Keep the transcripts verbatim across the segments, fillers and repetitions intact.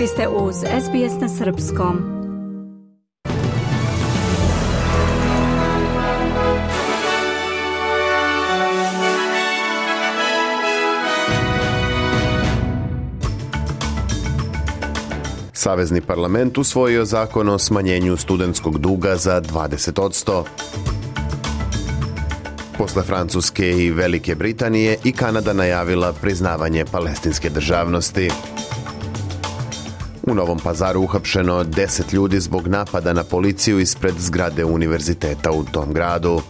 Vi ste uz S B S na srpskom. Savezni parlament usvojio zakon o smanjenju studentskog duga za dvadeset posto. Posle Francuske i Velike Britanije i Kanada najavila priznavanje palestinske državnosti. U Novom Pazaru uhapšeno deset ljudi zbog napada na policiju ispred zgrade univerziteta u tom gradu.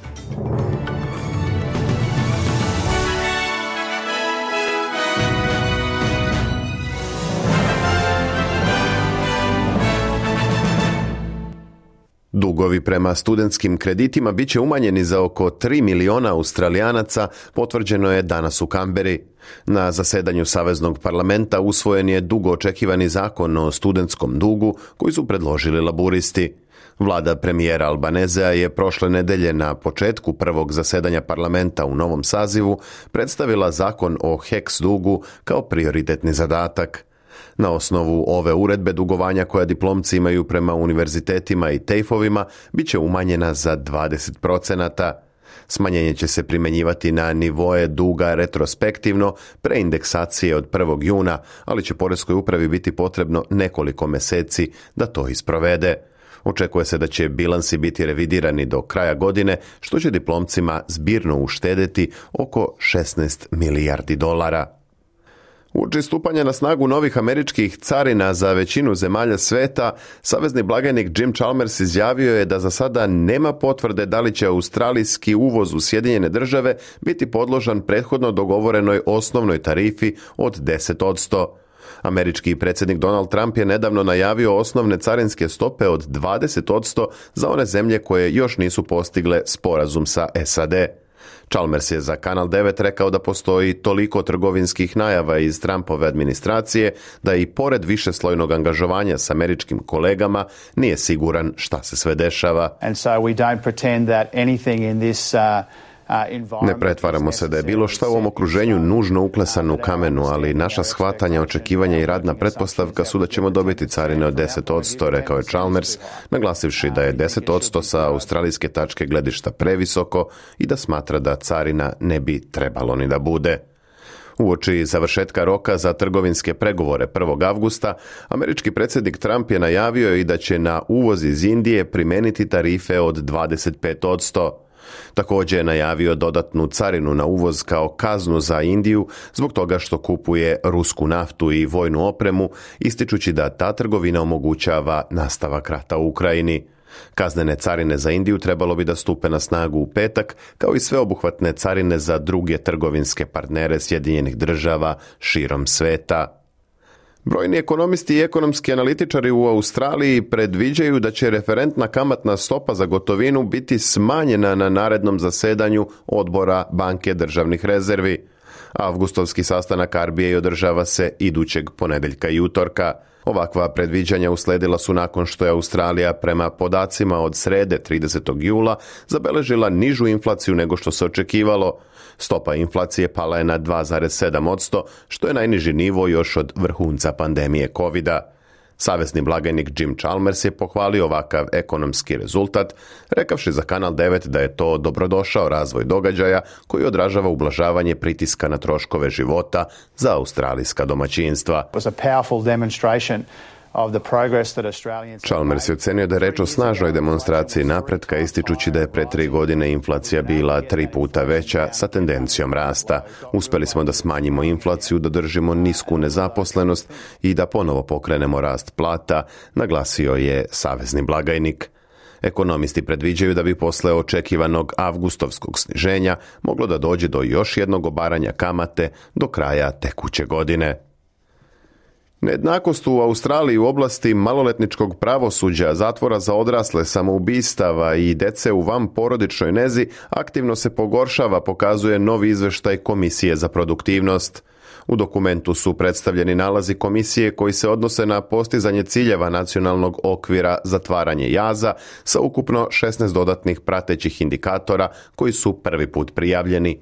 Dugovi prema studentskim kreditima bit će umanjeni za oko tri miliona Australijanaca, potvrđeno je danas u Kamberi. Na zasedanju Saveznog parlamenta usvojen je dugo očekivani zakon o studentskom dugu koji su predložili laburisti. Vlada premijera Albanezea je prošle nedelje na početku prvog zasedanja parlamenta u novom sazivu predstavila zakon o H E C dugu kao prioritetni zadatak. Na osnovu ove uredbe dugovanja koja diplomci imaju prema univerzitetima i tejfovima bit će umanjena za dvadeset procenata. Smanjenje će se primjenjivati na nivoe duga retrospektivno pre indeksacije od prvog juna, ali će poreskoj upravi biti potrebno nekoliko meseci da to isprovede. Očekuje se da će bilansi biti revidirani do kraja godine, što će diplomcima zbirno uštedeti oko šesnaest milijardi dolara. Uoči stupanja na snagu novih američkih carina za većinu zemalja sveta, savezni blagajnik Jim Chalmers izjavio je da za sada nema potvrde da li će australijski uvoz u Sjedinjene države biti podložan prethodno dogovorenoj osnovnoj tarifi od deset posto. Američki predsjednik Donald Trump je nedavno najavio osnovne carinske stope od dvadeset posto za one zemlje koje još nisu postigle sporazum sa S A D. Chalmers je za Kanal devet rekao da postoji toliko trgovinskih najava iz Trumpove administracije da i pored višeslojnog angažovanja s američkim kolegama nije siguran šta se sve dešava. And so we don't pretend that anything in this uh... Ne pretvaramo se da je bilo šta u ovom okruženju nužno uklesano u kamenu, ali naša shvatanja, očekivanja i radna pretpostavka su da ćemo dobiti carine od deset posto, rekao je Chalmers, naglasivši da je deset posto sa australijske tačke gledišta previsoko i da smatra da carina ne bi trebalo ni da bude. Uoči završetka roka za trgovinske pregovore prvog avgusta, američki predsjednik Trump je najavio i da će na uvoz iz Indije primeniti tarife od dvadeset pet posto. Također je najavio dodatnu carinu na uvoz kao kaznu za Indiju zbog toga što kupuje rusku naftu i vojnu opremu, ističući da ta trgovina omogućava nastavak rata u Ukrajini. Kaznene carine za Indiju trebalo bi da stupe na snagu u petak, kao i sveobuhvatne carine za druge trgovinske partnere Sjedinjenih država širom sveta. Brojni ekonomisti i ekonomski analitičari u Australiji predviđaju da će referentna kamatna stopa za gotovinu biti smanjena na narednom zasedanju odbora Banke državnih rezervi. Avgustovski sastanak R B A održava se idućeg ponedeljka i utorka. Ovakva predviđanja usledila su nakon što je Australija prema podacima od srede tridesetog jula zabeležila nižu inflaciju nego što se očekivalo. Stopa inflacije pala je na dva zarez sedam posto, što je najniži nivo još od vrhunca pandemije kovida. Savezni blagajnik Jim Chalmers je pohvalio ovakav ekonomski rezultat, rekavši za Kanal devet da je to dobrodošao razvoj događaja koji odražava ublažavanje pritiska na troškove života za australijska domaćinstva. Chalmers je ocenio da je reč o snažnoj demonstraciji napretka, ističući da je pre tri godine inflacija bila tri puta veća sa tendencijom rasta. Uspeli smo da smanjimo inflaciju, da držimo nisku nezaposlenost i da ponovo pokrenemo rast plata, naglasio je savezni blagajnik. Ekonomisti predviđaju da bi posle očekivanog avgustovskog sniženja moglo da dođe do još jednog obaranja kamate do kraja tekuće godine. Nejednakost u Australiji u oblasti maloletničkog pravosuđa, zatvora za odrasle, samoubistava i dece u vanporodičnoj nezi aktivno se pogoršava, pokazuje novi izveštaj Komisije za produktivnost. U dokumentu su predstavljeni nalazi komisije koji se odnose na postizanje ciljeva nacionalnog okvira zatvaranje jaza sa ukupno šesnaest dodatnih pratećih indikatora koji su prvi put prijavljeni.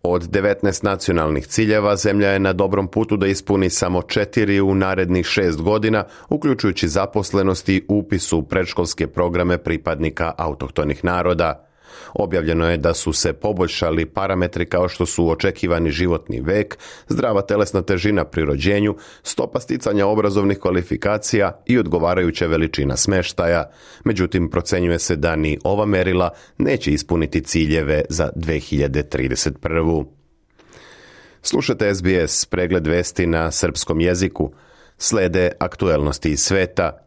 Od devetnaest nacionalnih ciljeva, zemlja je na dobrom putu da ispuni samo četiri u narednih šest godina, uključujući zaposlenost i upis u predškolske programe pripadnika autohtonih naroda. Objavljeno je da su se poboljšali parametri kao što su očekivani životni vek, zdrava telesna težina pri rođenju, stopa sticanja obrazovnih kvalifikacija i odgovarajuća veličina smeštaja. Međutim, procenjuje se da ni ova merila neće ispuniti ciljeve za dve hiljade trideset prvu. Slušate S B S, pregled vesti na srpskom jeziku. Slede aktuelnosti iz sveta.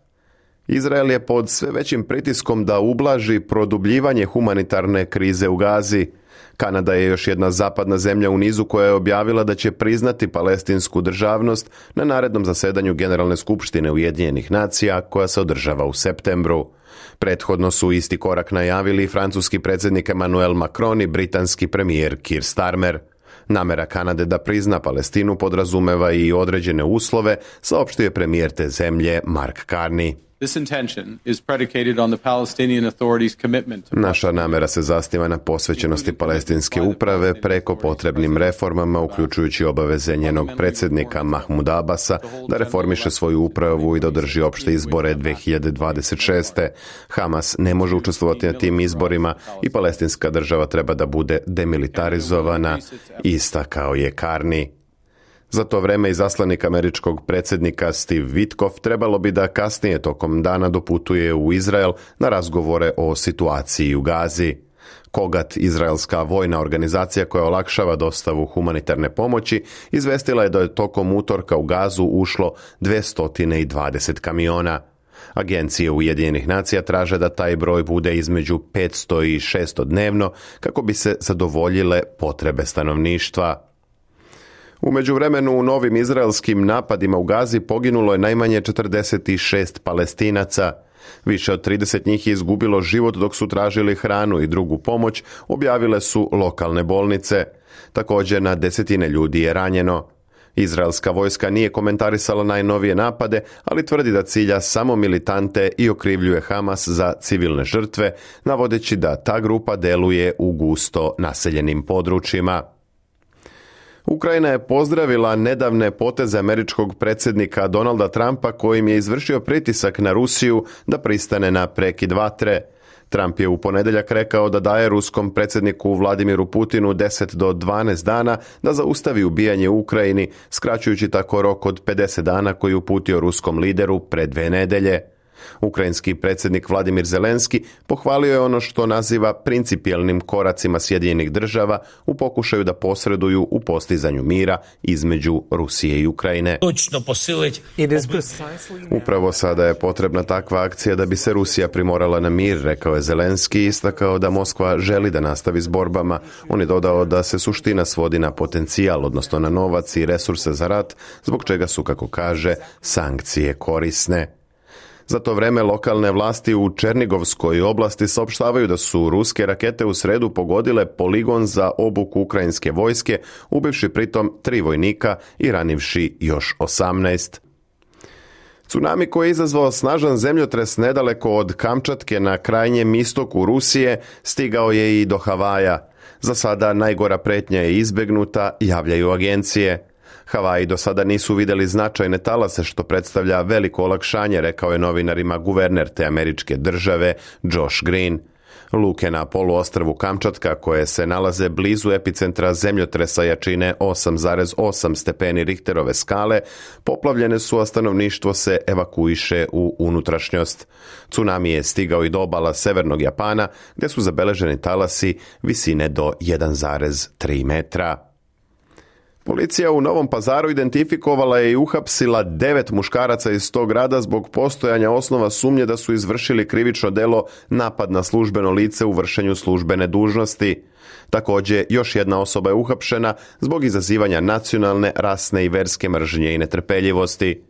Izrael je pod sve većim pritiskom da ublaži produbljivanje humanitarne krize u Gazi. Kanada je još jedna zapadna zemlja u nizu koja je objavila da će priznati palestinsku državnost na narednom zasedanju Generalne skupštine Ujedinjenih nacija koja se održava u septembru. Prethodno su isti korak najavili francuski predsjednik Emmanuel Macron i britanski premijer Keir Starmer. Namera Kanade da prizna Palestinu podrazumeva i određene uslove, saopštio je premijer te zemlje Mark Carney. Naša namera se zasniva na posvećenosti palestinske uprave preko potrebnim reformama, uključujući obaveze njenog predsjednika Mahmuda Abasa da reformiše svoju upravu i da održi opšte izbore dve hiljade dvadeset šeste. Hamas ne može učestvovati na tim izborima i palestinska država treba da bude demilitarizovana, istakao je Carney. Za to vreme izaslanik američkog predsjednika Steve Witkoff trebalo bi da kasnije tokom dana doputuje u Izrael na razgovore o situaciji u Gazi. Kogat, izraelska vojna organizacija koja olakšava dostavu humanitarne pomoći, izvestila je da je tokom utorka u Gazu ušlo dvesta dvadeset kamiona. Agencije Ujedinjenih nacija traže da taj broj bude između petsto i šesto dnevno kako bi se zadovoljile potrebe stanovništva. U međuvremenu u novim izraelskim napadima u Gazi poginulo je najmanje četrdeset šest Palestinaca. Više od trideset njih je izgubilo život dok su tražili hranu i drugu pomoć, objavile su lokalne bolnice. Također na desetine ljudi je ranjeno. Izraelska vojska nije komentarisala najnovije napade, ali tvrdi da cilja samo militante i okrivljuje Hamas za civilne žrtve, navodeći da ta grupa deluje u gusto naseljenim područjima. Ukrajina je pozdravila nedavne poteze američkog predsjednika Donalda Trumpa kojim je izvršio pritisak na Rusiju da pristane na prekid vatre. Trump je u ponedjeljak rekao da daje ruskom predsjedniku Vladimiru Putinu deset do dvanaest dana da zaustavi ubijanje u Ukrajini, skraćujući tako rok od pedeset dana koji je uputio ruskom lideru pre dve nedelje. Ukrajinski predsjednik Vladimir Zelenski pohvalio je ono što naziva principijelnim koracima Sjedinjenih država u pokušaju da posreduju u postizanju mira između Rusije i Ukrajine. Upravo sada je potrebna takva akcija da bi se Rusija primorala na mir, rekao je Zelenski i istakao da Moskva želi da nastavi s borbama. On je dodao da se suština svodi na potencijal, odnosno na novac i resurse za rat, zbog čega su, kako kaže, sankcije korisne. Za to vreme lokalne vlasti u Černigovskoj oblasti saopštavaju da su ruske rakete u sredu pogodile poligon za obuku ukrajinske vojske, ubivši pritom tri vojnika i ranivši još osamnaest. Tsunami koji je izazvao snažan zemljotres nedaleko od Kamčatke na krajnjem istoku Rusije stigao je i do Havaja. Za sada najgora pretnja je izbegnuta, javljaju agencije. Havaji do sada nisu vidjeli značajne talase što predstavlja veliko olakšanje, rekao je novinarima guverner te američke države Josh Green. Luke na poluostrvu Kamčatka, koje se nalaze blizu epicentra zemljotresa jačine osam zarez osam stepeni Richterove skale, poplavljene su, a stanovništvo se evakuiše u unutrašnjost. Tsunami je stigao i do obala severnog Japana, gdje su zabeleženi talasi visine do jedan zarez tri metra. Policija u Novom Pazaru identifikovala je i uhapsila devet muškaraca iz tog grada zbog postojanja osnova sumnje da su izvršili krivično delo napad na službeno lice u vršenju službene dužnosti. Također, još jedna osoba je uhapšena zbog izazivanja nacionalne, rasne i verske mržnje i netrpeljivosti.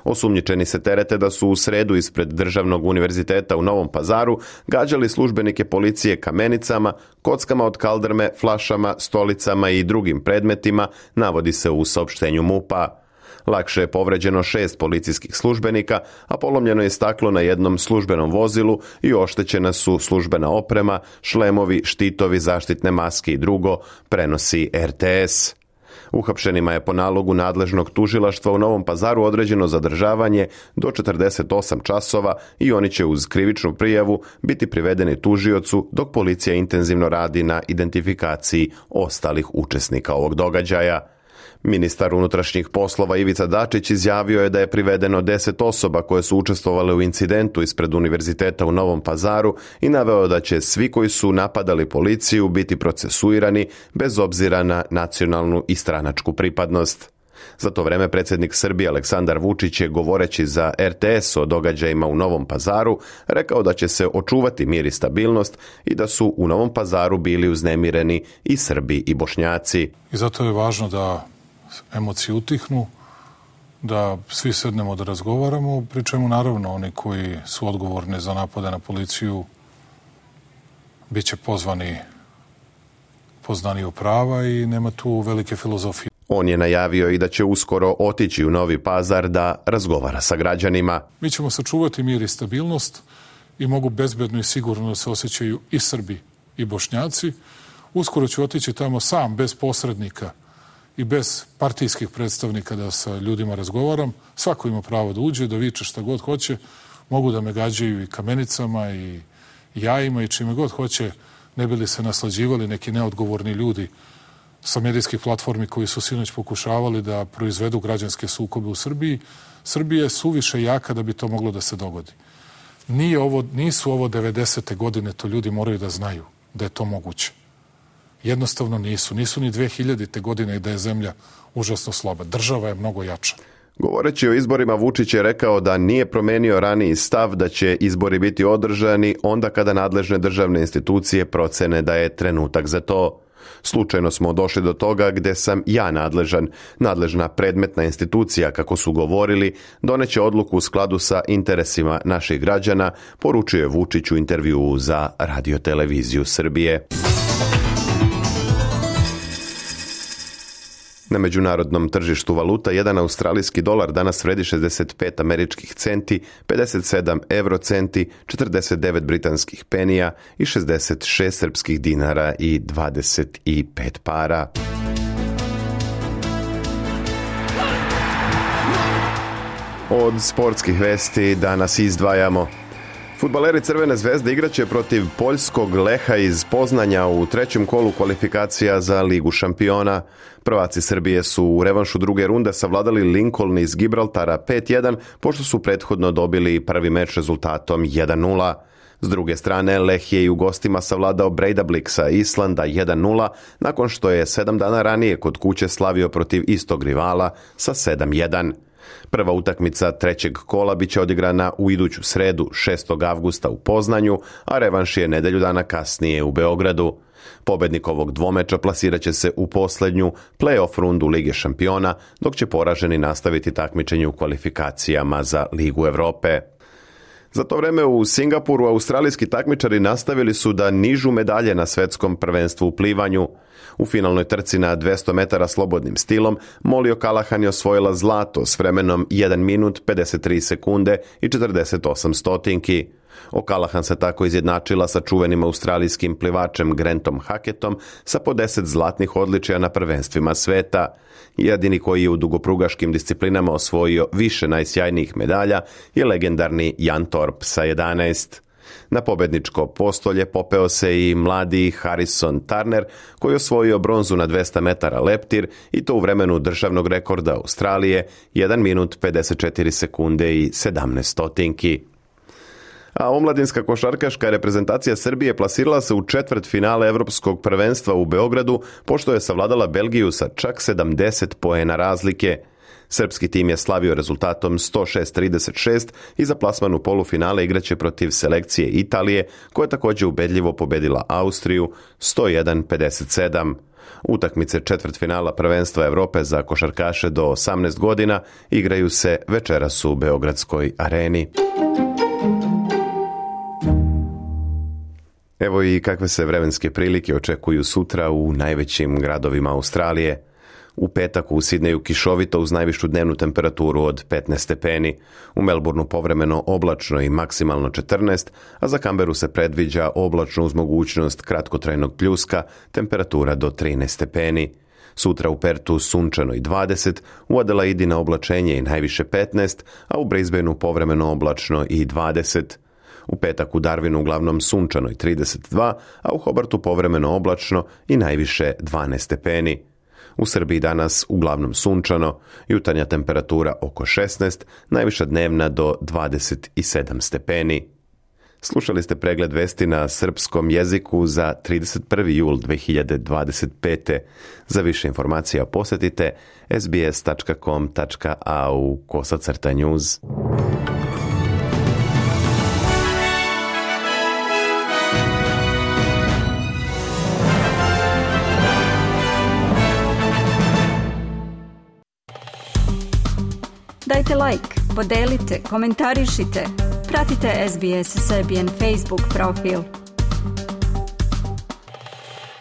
Osumnjičeni se terete da su u sredu ispred Državnog univerziteta u Novom Pazaru gađali službenike policije kamenicama, kockama od kaldrme, flašama, stolicama i drugim predmetima, navodi se u saopštenju MUP-a. Lakše je povređeno šest policijskih službenika, a polomljeno je staklo na jednom službenom vozilu i oštećena su službena oprema, šlemovi, štitovi, zaštitne maske i drugo, prenosi R T S. Uhapšenima je po nalogu nadležnog tužilaštva u Novom Pazaru određeno zadržavanje do četrdeset osam časova i oni će uz krivičnu prijavu biti privedeni tužiocu dok policija intenzivno radi na identifikaciji ostalih učesnika ovog događaja. Ministar unutrašnjih poslova Ivica Dačić izjavio je da je privedeno deset osoba koje su učestvovale u incidentu ispred univerziteta u Novom Pazaru i naveo da će svi koji su napadali policiju biti procesuirani bez obzira na nacionalnu i stranačku pripadnost. Za to vreme predsjednik Srbije Aleksandar Vučić je, govoreći za R T S o događajima u Novom Pazaru, rekao da će se očuvati mir i stabilnost i da su u Novom Pazaru bili uznemireni i Srbi i Bošnjaci. I zato je važno da emocije utihnu, da svi sednemo da razgovaramo, pri čemu naravno oni koji su odgovorni za napade na policiju bit će pozvani poznaniju prava i nema tu velike filozofije. On je najavio i da će uskoro otići u Novi Pazar da razgovara sa građanima. Mi ćemo sačuvati mir i stabilnost i mogu bezbedno i sigurno da se osjećaju i Srbi i Bošnjaci. Uskoro ću otići tamo sam, bez posrednika i bez partijskih predstavnika da sa ljudima razgovaram. Svako ima pravo da uđe, da viče šta god hoće. Mogu da me gađaju i kamenicama i jajima i čime god hoće, ne bi li se naslađivali neki neodgovorni ljudi sa medijskih platformi koji su sinoć pokušavali da proizvedu građanske sukobe u Srbiji. Srbija je suviše jaka da bi to moglo da se dogodi. Nije ovo, nisu ovo devedesete godine, to ljudi moraju da znaju da je to moguće. Jednostavno nisu. Nisu ni dve hiljadite godine da je zemlja užasno slaba. Država je mnogo jača. Govoreći o izborima, Vučić je rekao da nije promenio raniji stav da će izbori biti održani onda kada nadležne državne institucije procene da je trenutak za to. Slučajno smo došli do toga gde sam ja nadležan. Nadležna predmetna institucija, kako su govorili, doneće odluku u skladu sa interesima naših građana, poručio je Vučić u intervjuu za Radio-televiziju Srbije. Na međunarodnom tržištu valuta jedan australijski dolar danas vredi šezdeset pet američkih centi, pedeset sedam evrocenti, četrdeset devet britanskih penija i šezdeset šest srpskih dinara i dvadeset pet para. Od sportskih vesti danas izdvajamo: fudbaleri Crvene zvezde igraće protiv poljskog Leha iz Poznanja u trećem kolu kvalifikacija za Ligu šampiona. Prvaci Srbije su u revanšu druge runde savladali Lincoln iz Gibraltara pet jedan, pošto su prethodno dobili prvi meč rezultatom jedan nula. S druge strane, Leh je i u gostima savladao Breidablixa Islanda jedan nula, nakon što je sedam dana ranije kod kuće slavio protiv istog rivala sa sedam jedan. Prva utakmica trećeg kola biće odigrana u iduću sredu šestog avgusta u Poznanju, a revanš je nedelju dana kasnije u Beogradu. Pobednik ovog dvomeča plasirat će se u poslednju play-off rundu Lige šampiona, dok će poraženi nastaviti takmičenje u kvalifikacijama za Ligu Evrope. Za to vreme u Singapuru australijski takmičari nastavili su da nižu medalje na svetskom prvenstvu u plivanju. U finalnoj trci na dvesta metara slobodnim stilom Molly O'Callaghan je osvojila zlato s vremenom jedan minut pedeset tri sekunde i četrdeset osam stotinki. O'Callaghan se tako izjednačila sa čuvenim australijskim plivačem Grantom Hackettom sa po deset zlatnih odličija na prvenstvima sveta. Jedini koji je u dugoprugaškim disciplinama osvojio više najsjajnijih medalja je legendarni Jan Thorpe sa jedanaest. Na pobedničko postolje popeo se i mladi Harrison Turner, koji je osvojio bronzu na dvesta metara leptir i to u vremenu državnog rekorda Australije jedan minut pedeset četiri sekunde i sedamnaest stotinki. A omladinska košarkaška reprezentacija Srbije plasirala se u četvrt finale Evropskog prvenstva u Beogradu, pošto je savladala Belgiju sa čak sedamdeset poena razlike. Srpski tim je slavio rezultatom sto šest trideset šest i za plasman u polufinale igraće protiv selekcije Italije, koja je također ubedljivo pobedila Austriju sto jedan pedeset sedam. Utakmice četvrtfinala prvenstva Evrope za košarkaše do osamnaest godina igraju se večeras u Beogradskoj areni. Evo i kakve se vremenske prilike očekuju sutra u najvećim gradovima Australije. U petak u Sidneju kišovito uz najvišu dnevnu temperaturu od petnaest stepeni. U Melbourneu povremeno oblačno i maksimalno četrnaest, a za Canberu se predviđa oblačno uz mogućnost kratkotrajnog pljuska, temperatura do trinaest stepeni. Sutra u Pertu sunčano i dvadeset, u Adelaidi na oblačenje i najviše petnaest, a u Brisbaneu povremeno oblačno i dvadeset. U petak u Darwinu uglavnom sunčano i trideset dva, a u Hobartu povremeno oblačno i najviše dvanaest stepeni. U Srbiji danas uglavnom sunčano, jutarnja temperatura oko šesnaest, najviša dnevna do dvadeset sedam stepeni. Slušali ste pregled vesti na srpskom jeziku za trideset prvi jul dve hiljade dvadeset pete. Za više informacija posjetite es be es tačka com tačka a u kosacrta news. Dajte like, podelite, komentarišite. Pratite S B S Serbian Facebook profil.